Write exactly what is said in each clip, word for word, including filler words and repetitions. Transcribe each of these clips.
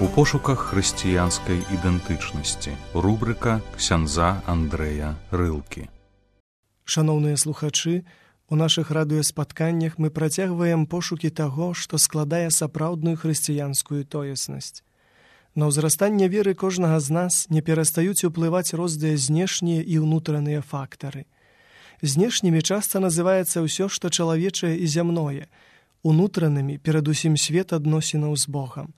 У пошуках хрысціянскай ідэнтычнасці. Рубрыка ксяндза Андрэя Рылкі. Шаноўныя слухачы, у нашых радыёспатканнях мы працягваем пошукі таго, што складае сапраўдную хрысціянскую тоеснасць. На ўзрастанне веры кожнага з нас не перастаюць уплываць розныя знешнія і ўнутраныя фактары. Знешнімі часта называецца ўсё, што чалавечае і зямное, унутранымі перадусім свет адносінаў з Богам.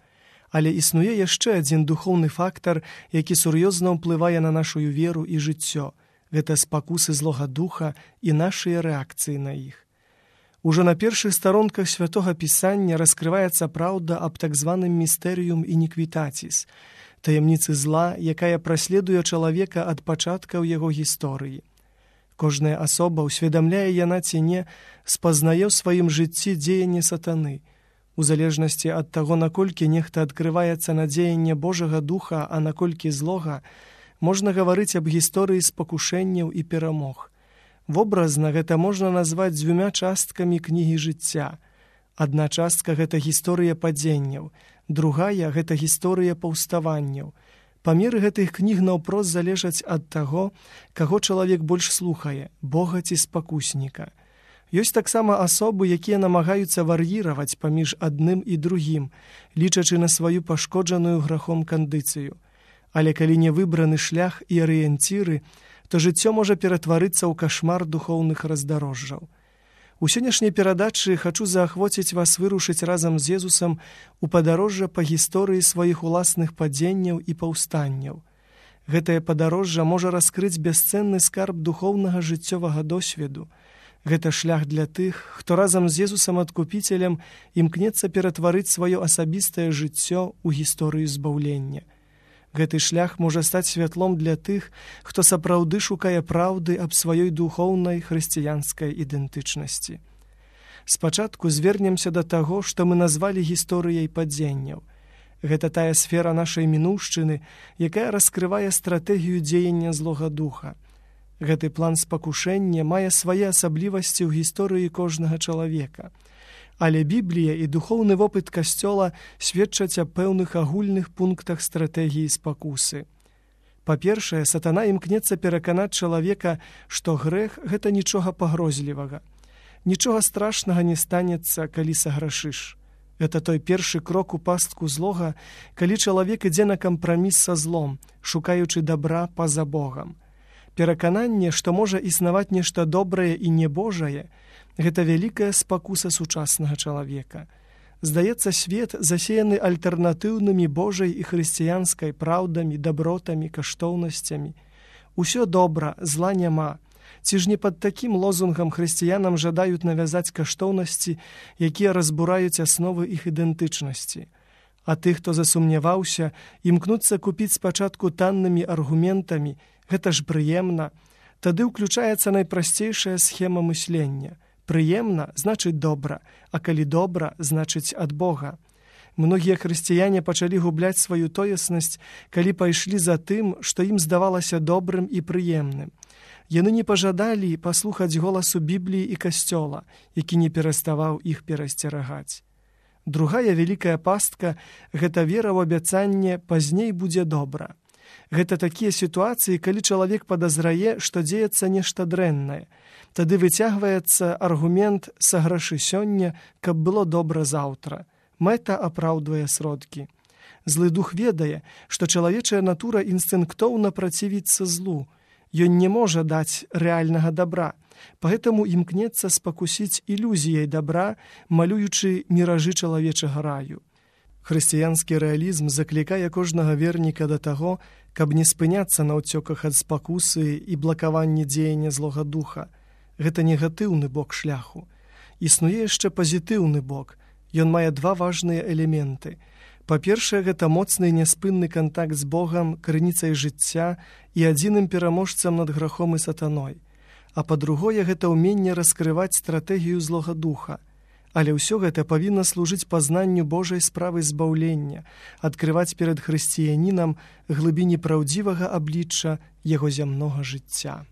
Але існуе яшчэ адзін духоўны фактар, які сур'ёзна ўплывае на нашу веру і жыццё. Гэта спакусы злога духа і нашыя рэакцыі на іх. Ужо на першых старонках Святога Пісання раскрываецца праўда аб так званым містэрыум ініквітаціс, таямніцы зла, якая праследуе чалавека ад пачаткаў яго гісторыі. Кожная асоба, усведамляе яна ці не, спазнае ў сваім жыцці дзеянне сатаны. У залежнасці ад таго, наколькі нехта адкрываецца на дзеянне Божага духа, а наколькі злога, можна гаварыць аб гісторыі спакушэнняў і перамог. Вобразна гэта можна назваць дзвюма часткамі кнігі жыцця. Адна частка – гэта гісторыя падзенняў, другая – гэта гісторыя паўставанняў. Памеры гэтых кніг наўпрост залежаць ад таго, каго чалавек больш слухае – Бога ці спакусніка. Ёсць таксама асобы, якія намагаюцца вар'іраваць паміж адным і другім, лічачы на сваю пашкоджаную грахом кандыцыю. Але калі не выбраны шлях і арыенціры, то жыццё можа ператварыцца ў кашмар духоўных раздарожжаў. У сённяшняй перадачы хачу заахвоціць вас вырушыць разам з Езусам у падарожжа па гісторыі сваіх уласных падзенняў і паўстанняў. Гэтае падарожжа можа раскрыць бясцэнны скарб духоўнага жыццёвага досведу. Гэта шлях для тых, хто разам з Езусам Адкупіцелем імкнецца ператварыць сваё асабістае жыццё ў гісторыю збаўлення. Гэты шлях можа стаць святлом для тых, хто сапраўды шукае праўды аб сваёй духоўнай хрысціянскай ідэнтычнасці. Спачатку звернемся да таго, што мы назвалі гісторыяй падзенняў. Гэта тая сфера нашай мінуўшчыны, якая раскрывае стратэгію дзеяння злога духа. Гэты план спакушэння мае свае асаблівасці ў гісторыі кожнага чалавека. Але Біблія і духоўны вопыт Касцёла сведчаць аб пэўных агульных пунктах стратэгіі спакусы. Па-першае, сатана імкнецца пераканаць чалавека, што грэх – гэта нічога пагрозлівага. Нічога страшнага не станецца, калі саграшыш. Гэта той першы крок у пастку злога, калі чалавек ідзе на кампраміс са злом, шукаючы дабра па-за Богам. Перакананне, што можа існаваць нешта добрае і небожае, гэта вялікая спакуса сучаснага чалавека. Здаецца, свет засеяны альтэрнатыўнымі Божай і хрысціянскай праўдамі, дабротамі, каштоўнасцямі. Усё добра, зла няма. Ці ж не пад такім лозунгам хрысціянам жадаюць навязаць каштоўнасці, якія разбураюць асновы іх ідэнтычнасці. А тых, хто засумняваўся, імкнуцца купіць спачатку таннымі аргументамі, гэта ж прыемна. Тады ўключаецца найпрасцейшая схема мыслення. Прыемна значыць добра, а калі добра, значыць ад Бога. Многія хрысціяне пачалі губляць сваю тоеснасць, калі пайшлі за тым, што ім здавалася добрым і прыемным. Яны не пажадалі паслухаць голасу Бібліі і Касцёла, які не пераставаў іх перасцерагаць. Другая вялікая пастка – гэта вера ў абяцанне «пазней будзе добра». Гэта такія сітуацыі, калі чалавек падазрае, што дзеецца нешта дрэннае. Тады выцягваецца аргумент «саграшы сёння, каб было добра заўтра». Мэта апраўдвае сродкі. Злы дух ведае, што чалавечая натура інстынктоўна працівіцца злу. Ён не можа даць рэальнага дабра, паэтаму імкнецца спакусіць ілюзіяй дабра, малюючы міражы чалавечага раю. Хрысціянскі рэалізм заклікае кожнага верніка да таго, каб не спыняцца на ўцёках ад спакусы і блакаванні дзеяння злога духа. Гэта негатыўны бок шляху. Існуе яшчэ пазітыўны бок. Ён мае два важныя элементы. Па-першае, гэта моцны і няспынны кантакт з Богам, крыніцай жыцця і адзіным пераможцам над грахом і сатаной. А па-другое, гэта ўменне раскрываць стратэгію злога духа. Але ўсё гэта павінна служыць пазнанню Божай справы збаўлення, адкрываць перад хрысціянінам глыбіні праўдзівага аблічча яго зямнога жыцця.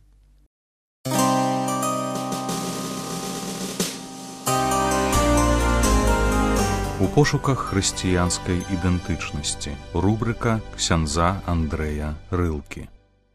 У пошуках хрысціянскай ідэнтычнасці. Рубрыка ксяндза Андрэя Рылкі.